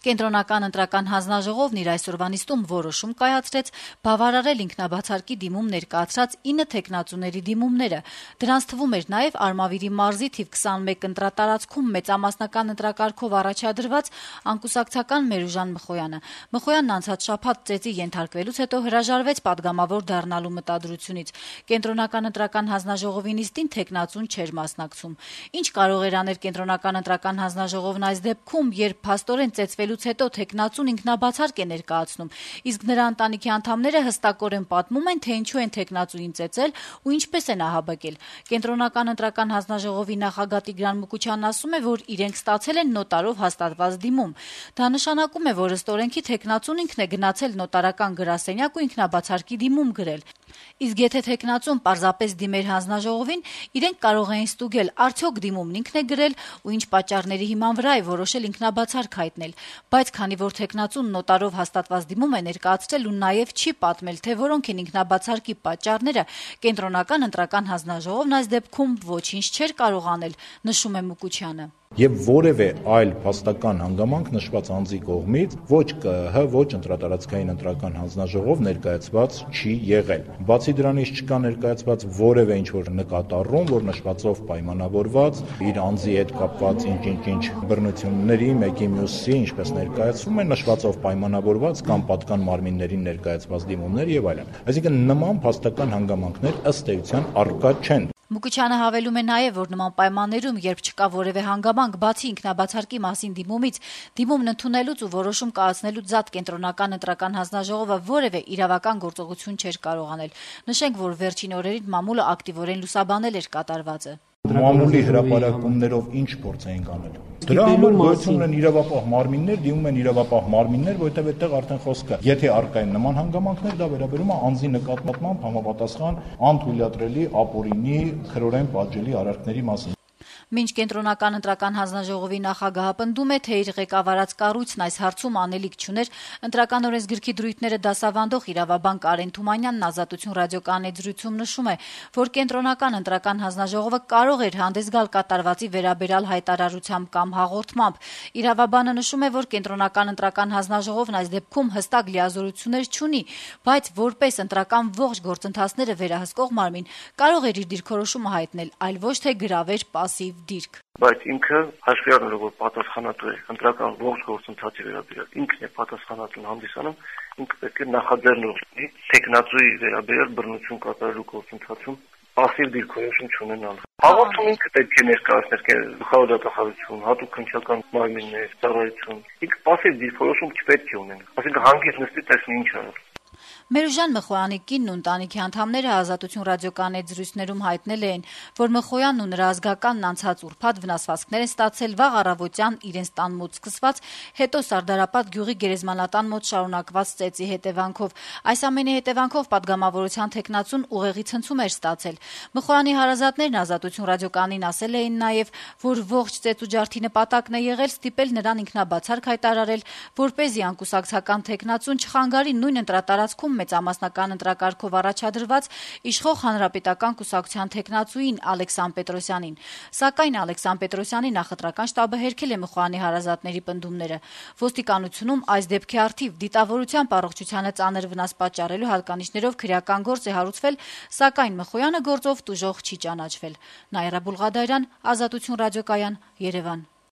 Կենտրոնական ընտրական հանձնաժողովն իր այսօրվա նիստում որոշում կայացրեց բավարարել ինքնաբացարկի դիմում ներկայացրած 9 թեկնածուների դիմումները։ Դրանց թվում էր նաև Արմավիրի մարզի թիվ 21 ընտրատարածքում մեծամասնական ընտրակարգով առաջադրված անկուսակցական Մերուժան Մխոյանը։ Մխոյանն անցած շաբաթ ծեծի ենթարկվելուց հետո հրաժարվեց պատգամավոր դառնալու մտադրությունից։ Կենտրոնական ընտրական հանձնաժողովի նիստին թեկնածուն չէր մասնակցում։ Ինչ կարող էր անել Կենտրոնական ընտրական հանձնաժողովն այս դեպքում, երբ փաստորեն ծեծվելուց հետո թեկնածուն ինքնաբացարկ է ներկայացնում, իսկ նրա ընտանիքի անդամները հստակորեն պատմում են, թե ինչու են թեկնածուին ծեծել ու ինչպես են ահաբեկել։ Կենտրոնական ընտրական հանձնաժողովի նախագահ Տիգրան Մուկուչյանն ասում է, որ իրենք ստացել են նոտարով հաստատված դիմում։ Դա նշանակում է, որ ըստ օրենքի թեկնածուն ինքն է գնացել նոտարական գրասենյակ ու ինքնաբացարկի դիմում գրել։ Իսկ եթե թեկնածուն պարզապես դիմեր հանձնաժողովին, իրենք կարող էին ստուգել, արդյոք դիմումն ինքն է գրել ու ինչ պատճառների հիման վրա է որոշել ինքնաբացարկ հայտնել։ Բայց քանի որ թեկնածուն նոտարով հաստատված դիմում է ներկայացրել ու նաև չի պատմել, թե որոնք են ինքնաբացարկի պատճառները, Կենտրոնական ընտրական հանձնաժողովն այս դեպքում ոչինչ չէր կարող անել, նշում է Մուկուչյանը։ Եվ որևէ այլ փաստական հանգամանք նշված անձի կողմից ոչ ԿԸՀ, ոչ ընտրատարածքային ընտրական հանձնաժողով ներկայացված չի եղել։ Բացի դրանից չկա ներկայացված որևէ ինչ-որ նկատառում, որ նշվածով պայմանավորված իր անձի հետ կապված ինչ բռնությունների մեկի մյուսի, ինչպես ներկայացվում է, նշվածով պայմանավորված կամ պատկան մարմիններին ներկայացված դիմումներ եւ այլն։ Այսինքն նման փաստական հանգամանքներ ըստ էության առկա չեն։ Մուկուչյանը հավելում է նաև, որ նման պայմաններում, երբ չկա որևէ հանգամանք բացի ինքնաբացարկի մասին դիմումից, դիմումն ընդունելուց ու որոշում կայացնելուց զատ Կենտրոնական ընտրական հանձնաժողովը որևէ իրավական գործողություն չէր կարող անել։ Նշենք, որ վերջին օրերին մամուլը ակտիվորեն լուսաբանել էր կատարվածը։ Մամուլի հրապարակումներով ինչ փորձ էինք անել։ Դրա համար գոյություն ունեն իրավապահ մարմիններ, դիմում են իրավապահ մարմիններ, որտեղ այդտեղ արդեն խոսք կա։ Եթե առկա են նման հանգամանքներ, դա վերաբերում է անձի նկատմամբ համապատասխան անթույլատրելի, ապօրինի, քրորեն պատժելի արարքների մասին։ Մինչ Կենտրոնական ընտրական հանձնաժողովի նախագահը պնդում է, թե իր ղեկավարած կառույցն այս հարցում անելիք չուներ, ընտրական օրենսգրքի դրույթները դասավանդող իրավաբան Կարեն Թումանյանն Ազատություն ռադիոկայանի զրույցում նշում է, որ Կենտրոնական ընտրական հանձնաժողովը կարող էր հանդես գալ կատարվածի վերաբերյալ հայտարարությամբ կամ հաղորդմամբ։ Իրավաբանը նշում է, որ Կենտրոնական ընտրական հանձնաժողովն այս դեպքում հստակ լիազորություններ չունի, բայց որպես ընտրական ողջ գործընթացները վերահսկող մարմին կարող էր իր դիրքորոշումը հայտնել, այլ ոչ թե գրավեր պասիվ դիրք։ Բայց ինքը հաշվի առնելով, որ պատասխանատու է ընտրական ողջ գործընթացի վերաբերյալ, ինքն է պատասխանատուն հանդիսանում, ինքը պետք է նախաձեռնող լինի թեկնածուի վերաբերյալ բռնություն կատարելու գործընթացում պասիվ դիրքորոշում չունենալ։ Հաղորդում ինքը պետք է ներկայացնել գլխավոր դատախազություն, հատուկ քննչական մարմիններ, ծառայություն։ Ինքը պասիվ դիրքորոշում չպետք է ունենա։ Այսինքն հանգիստ նստի տեսնի ինչ արել։ Մերուժան Մխոյանի կինն ու ընտանիքի անդամները Ազատություն ռադիոկայանի զրույցներում հայտնել էին, որ Մխոյանն ու նրա ազգականն անցած ուրբաթ վնասվածքներ են ստացել վաղ առավոտյան իրենց տան մոտ սկսված, հետո Սարդարապատ գյուղի գերեզմանատան մոտ շարունակված ծեծի հետևանքով։ Այս ամենի հետևանքով պատգամավորության թեկնածուն ուղեղի ցնցում էր ստացել։ Մխոյանի հարազատներն Ազատություն ռադիոկայանին ասել էին նաև, որ ողջ ծեծուջարդի նպատակն է եղել ստիպել նրան ինքնաբացարկ հայտարարել, որպեսզի անկուսակցական թեկնածուն չխանգարի նույն ընտրատարածքում մեծամասնական ընտրակարգով առաջադրված իշխող հանրապետական կուսակցության թեկնածուին Ալեքսան Պետրոսյանին։ Սակայն Ալեքսան Պետրոսյանի նախընտրական շտաբը հերքել է Մխոյանի հարազատների պնդումները։ Ոստիկանությունում այս դեպքի առթիվ դիտավորությամբ առողջությանը ծանր վնաս պատճառելու հատկանիշներով քրեական գործ է հարուցվել, սակայն Մխոյանը գործով տուժող չի ճանաչվել։ Նաիրա Բուլղադարյան, Ազատություն ռադիոկայան, Երևան։